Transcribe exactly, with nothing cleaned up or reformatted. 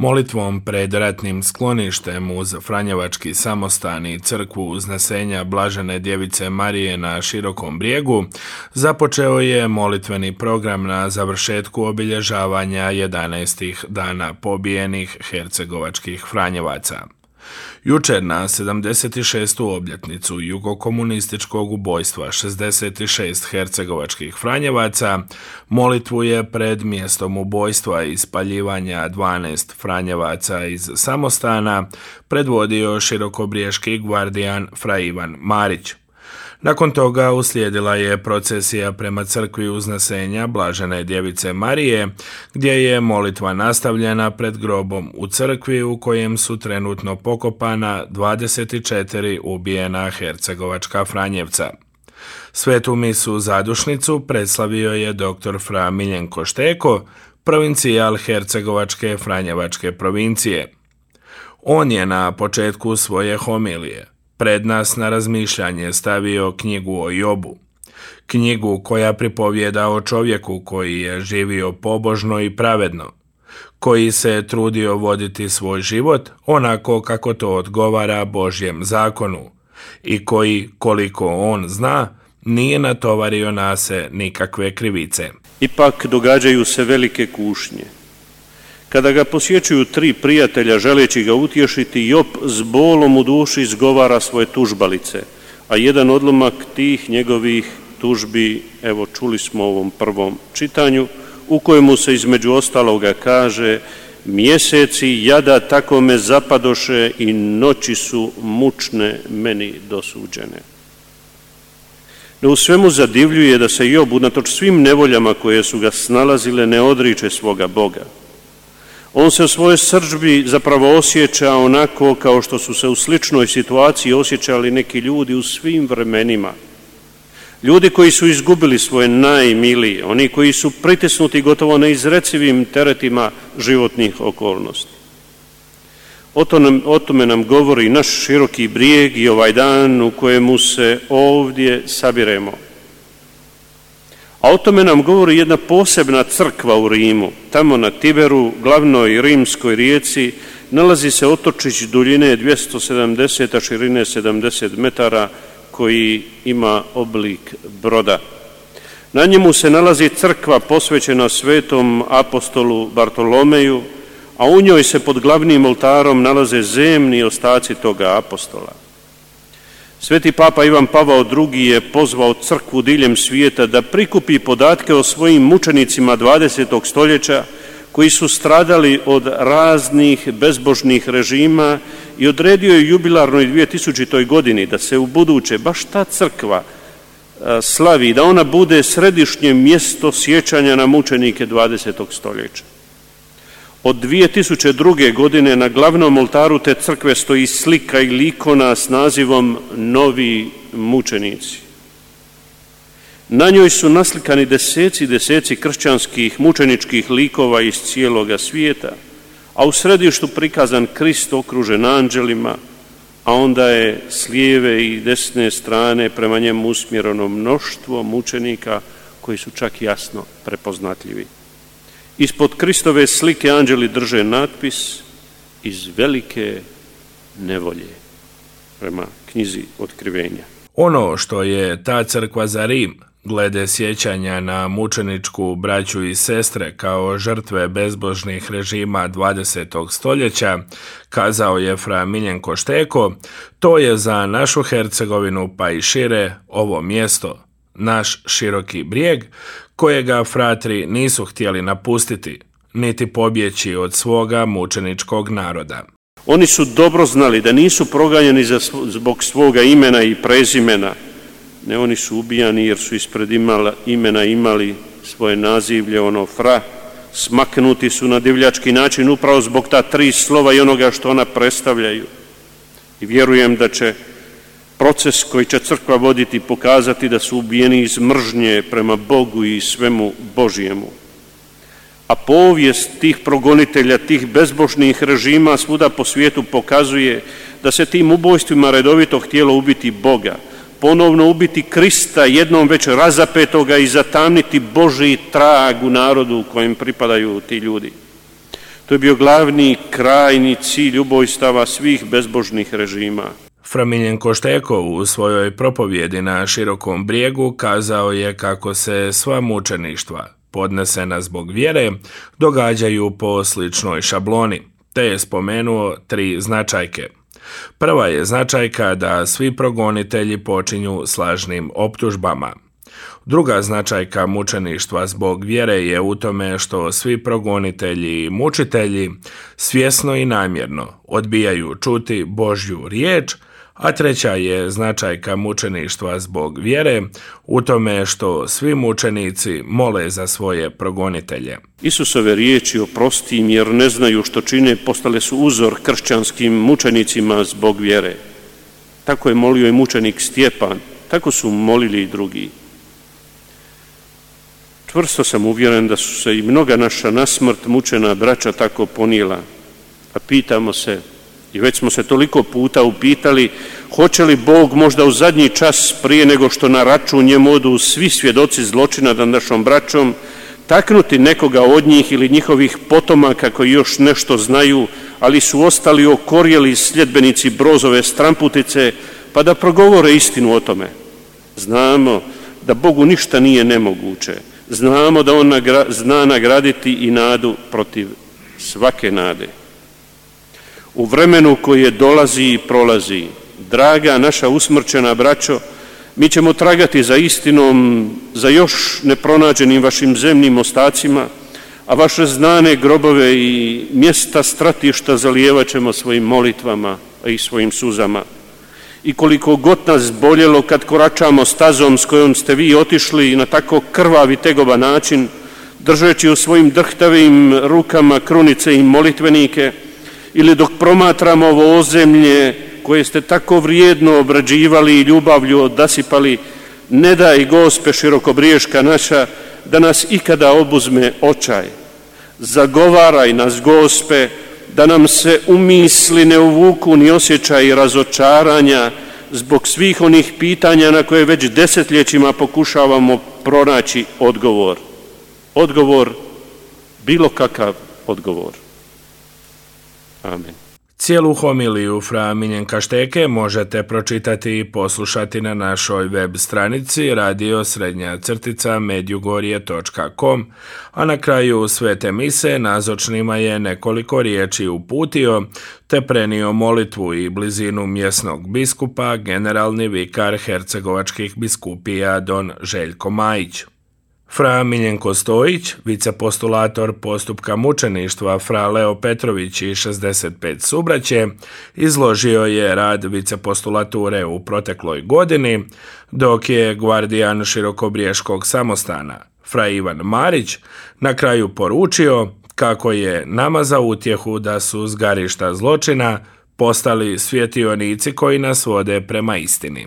Molitvom pred ratnim skloništem uz Franjevački samostan i crkvu Uznesenja Blažene Djevice Marije na Širokom Brijegu započeo je molitveni program na završetku obilježavanja jedanaestih dana pobijenih hercegovačkih Franjevaca. Jučer na sedamdeset šestu obljetnicu jugokomunističkog ubojstva šezdeset šest hercegovačkih Franjevaca molitvu je pred mjestom ubojstva i spaljivanja dvanaest Franjevaca iz samostana predvodio širokobriješki gvardijan Fra Ivan Marić. Nakon toga uslijedila je procesija prema crkvi Uznesenja Blažene Djevice Marije, gdje je molitva nastavljena pred grobom u crkvi u kojem su trenutno pokopana dvadeset četiri ubijena hercegovačka Franjevca. Svetu misu zadušnicu predslavio je doktor Fra Miljenko Šteko, provincijal hercegovačke Franjevačke provincije. On je na početku svoje homilije pred nas na razmišljanje stavio knjigu o Jobu, knjigu koja pripovijeda o čovjeku koji je živio pobožno i pravedno, koji se trudio voditi svoj život onako kako to odgovara Božjem zakonu i koji, koliko on zna, nije natovario na se nikakve krivice. Ipak događaju se velike kušnje. Kada ga posjećuju tri prijatelja želeći ga utješiti, Job s bolom u duši izgovara svoje tužbalice, a jedan odlomak tih njegovih tužbi, evo čuli smo u ovom prvom čitanju, u kojemu se između ostaloga kaže: mjeseci jada tako me zapadoše i noći su mučne meni dosuđene. No u svemu zadivljuje da se Job unatoč svim nevoljama koje su ga snalazile ne odriče svoga Boga. On se u svojoj srdžbi zapravo osjeća onako kao što su se u sličnoj situaciji osjećali neki ljudi u svim vremenima. Ljudi koji su izgubili svoje najmilije, oni koji su pritisnuti gotovo neizrecivim teretima životnih okolnosti. O tome, o tome nam govori naš Široki Brijeg i ovaj dan u kojemu se ovdje sabiremo. A o tome nam govori jedna posebna crkva u Rimu. Tamo na Tiberu, glavnoj rimskoj rijeci, nalazi se otočić duljine dvjesto sedamdeset, a širine sedamdeset metara, koji ima oblik broda. Na njemu se nalazi crkva posvećena svetom apostolu Bartolomeju, a u njoj se pod glavnim oltarom nalaze zemni ostaci toga apostola. Sveti Papa Ivan Pavao drugi je pozvao crkvu diljem svijeta da prikupi podatke o svojim mučenicima dvadesetog stoljeća koji su stradali od raznih bezbožnih režima i odredio je jubilarnoj dvije tisućitoj godini da se u buduće baš ta crkva slavi, da ona bude središnje mjesto sjećanja na mučenike dvadesetog stoljeća. Od dvije tisuće druge. godine na glavnom oltaru te crkve stoji slika ili ikona s nazivom Novi mučenici. Na njoj su naslikani deseci i deseci kršćanskih mučeničkih likova iz cijeloga svijeta, a u središtu prikazan Krist okružen anđelima, a onda je s lijeve i desne strane prema njemu usmjereno mnoštvo mučenika koji su čak jasno prepoznatljivi. Ispod Kristove slike anđeli drže natpis iz velike nevolje, prema knjizi Otkrivenja. Ono što je ta crkva za Rim, glede sjećanja na mučeničku braću i sestre kao žrtve bezbožnih režima dvadesetog stoljeća, kazao je Fra Miljenko Šteko, to je za našu Hercegovinu pa i šire ovo mjesto, naš Široki Brijeg, kojega fratri nisu htjeli napustiti, niti pobjeći od svoga mučeničkog naroda. Oni su dobro znali da nisu proganjani zbog svoga imena i prezimena, ne, oni su ubijani jer su ispred imala, imena imali svoje nazivlje, ono Fra, smaknuti su na divljački način upravo zbog ta tri slova i onoga što ona predstavljaju. I vjerujem da će proces koji će crkva voditi pokazati da su ubijeni iz mržnje prema Bogu i svemu Božjemu. A povijest tih progonitelja, tih bezbožnih režima svuda po svijetu pokazuje da se tim ubojstvima redovito htjelo ubiti Boga, ponovno ubiti Krista, jednom već razapetoga, i zatamniti Božji trag u narodu u kojem pripadaju ti ljudi. To je bio glavni, krajni cilj ubojstava svih bezbožnih režima. Fra Miljenko Šteko u svojoj propovjedi na Širokom Brijegu kazao je kako se sva mučeništva, podnesena zbog vjere, događaju po sličnoj šabloni, te je spomenuo tri značajke. Prva je značajka da svi progonitelji počinju s lažnim optužbama. Druga značajka mučeništva zbog vjere je u tome što svi progonitelji i mučitelji svjesno i namjerno odbijaju čuti Božju riječ, a treća je značajka mučeništva zbog vjere u tome što svi mučenici mole za svoje progonitelje. Isusove riječi oprosti im jer ne znaju što čine postale su uzor kršćanskim mučenicima zbog vjere. Tako je molio i mučenik Stjepan, tako su molili i drugi. Čvrsto sam uvjeren da su se i mnoga naša nasmrt mučena braća tako ponijela, a pitamo se, i već smo se toliko puta upitali, hoće li Bog možda u zadnji čas prije nego što na račun njemu odu svi svjedoci zločina nad našom braćom, taknuti nekoga od njih ili njihovih potomaka koji još nešto znaju, ali su ostali okorjeli sljedbenici Brozove stramputice, pa da progovore istinu o tome. Znamo da Bogu ništa nije nemoguće. Znamo da On nagra- zna nagraditi i nadu protiv svake nade. U vremenu koje dolazi i prolazi, draga naša usmrćena braćo, mi ćemo tragati za istinom, za još nepronađenim vašim zemnim ostacima, a vaše znane grobove i mjesta stratišta zalijevat ćemo svojim molitvama, a i svojim suzama. I koliko god nas boljelo kad koračamo stazom s kojom ste vi otišli na tako krvavi tegova način, držeći u svojim drhtavim rukama krunice i molitvenike, ili dok promatramo ovo ozemlje koje ste tako vrijedno obrađivali i ljubavlju odasipali, ne daj Gospe širokobriješka naša da nas ikada obuzme očaj. Zagovaraj nas, Gospe, da nam se u misli ne uvuku ni osjećaj razočaranja zbog svih onih pitanja na koje već desetljećima pokušavamo pronaći odgovor. Odgovor, bilo kakav odgovor. Amen. Cijelu homiliju fra Miljenka Šteke možete pročitati i poslušati na našoj web stranici radio srednja crtica medjugorje točka com, a na kraju svete mise nazočnima je nekoliko riječi uputio te prenio molitvu i blizinu mjesnog biskupa generalni vikar hercegovačkih biskupija don Željko Majić. Fra Miljenko Stojić, vicepostulator postupka mučeništva fra Leo Petrović i šezdeset pet subraće, izložio je rad vicepostulature u protekloj godini, dok je gvardijan Širokobriješkog samostana, fra Ivan Marić, na kraju poručio kako je nama za utjehu da su zgarišta zločina postali svjetionici koji nas vode prema istini.